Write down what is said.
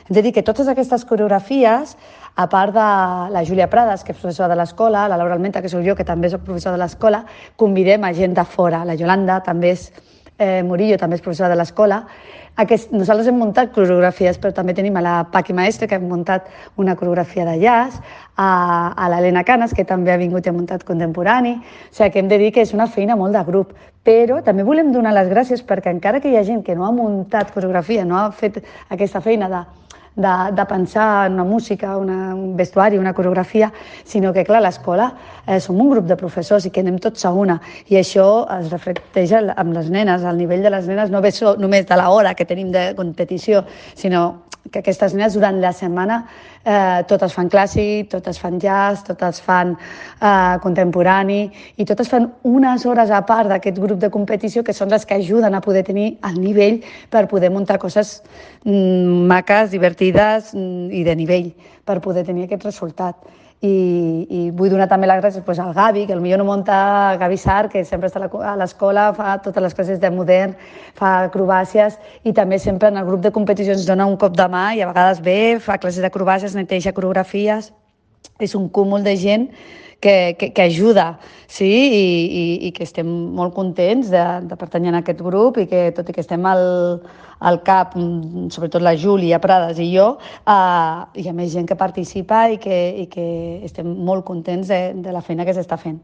Hem de dir que totes aquestes coreografies, a part de la Júlia Prades, que és professora de l'escola, la Laura Almenta, que sóc jo, que també soc professora de l'escola, convidem a gent de fora. La Yolanda també és Murillo, també és professora de l'escola. Nosaltres hem muntat coreografies, però també tenim a la Paqui Maestre, que hem muntat una coreografia de jazz, a l'Helena Canes, que també ha vingut i ha muntat contemporani. O sigui, que hem de dir que és una feina molt de grup. Però també volem donar les gràcies perquè encara que hi ha gent que no ha muntat coreografia, no ha fet aquesta feina de pensar en una música, un vestuari, una coreografia, sinó que, clar, a l'escola som un grup de professors i que anem tots a una. I això es reflecteix amb les nenes. El nivell de les nenes no ve només de l'hora que tenim de competició, sinó que aquestes nenes durant la setmana totes fan clàssic, totes fan jazz, totes fan contemporani i totes fan unes hores a part d'aquest grup de competició que són les que ajuden a poder tenir el nivell per poder muntar coses maques, divertides i de nivell per poder tenir aquest resultat. I vull donar també les gràcies al Gavi, que potser no munta, Gavi Sar, que sempre està a l'escola, fa totes les classes de modern, fa acrobàcies i també sempre en el grup de competicions dona un cop de mà i a vegades ve, fa classes d'acrobàcies, neteja coreografies. És un cúmul de gent que ajuda, sí, i que estem molt contents de pertànyer a aquest grup i que, tot i que estem al cap, sobretot la Júlia Prades i jo, hi ha més gent que participa i que estem molt contents de la feina que s'està fent.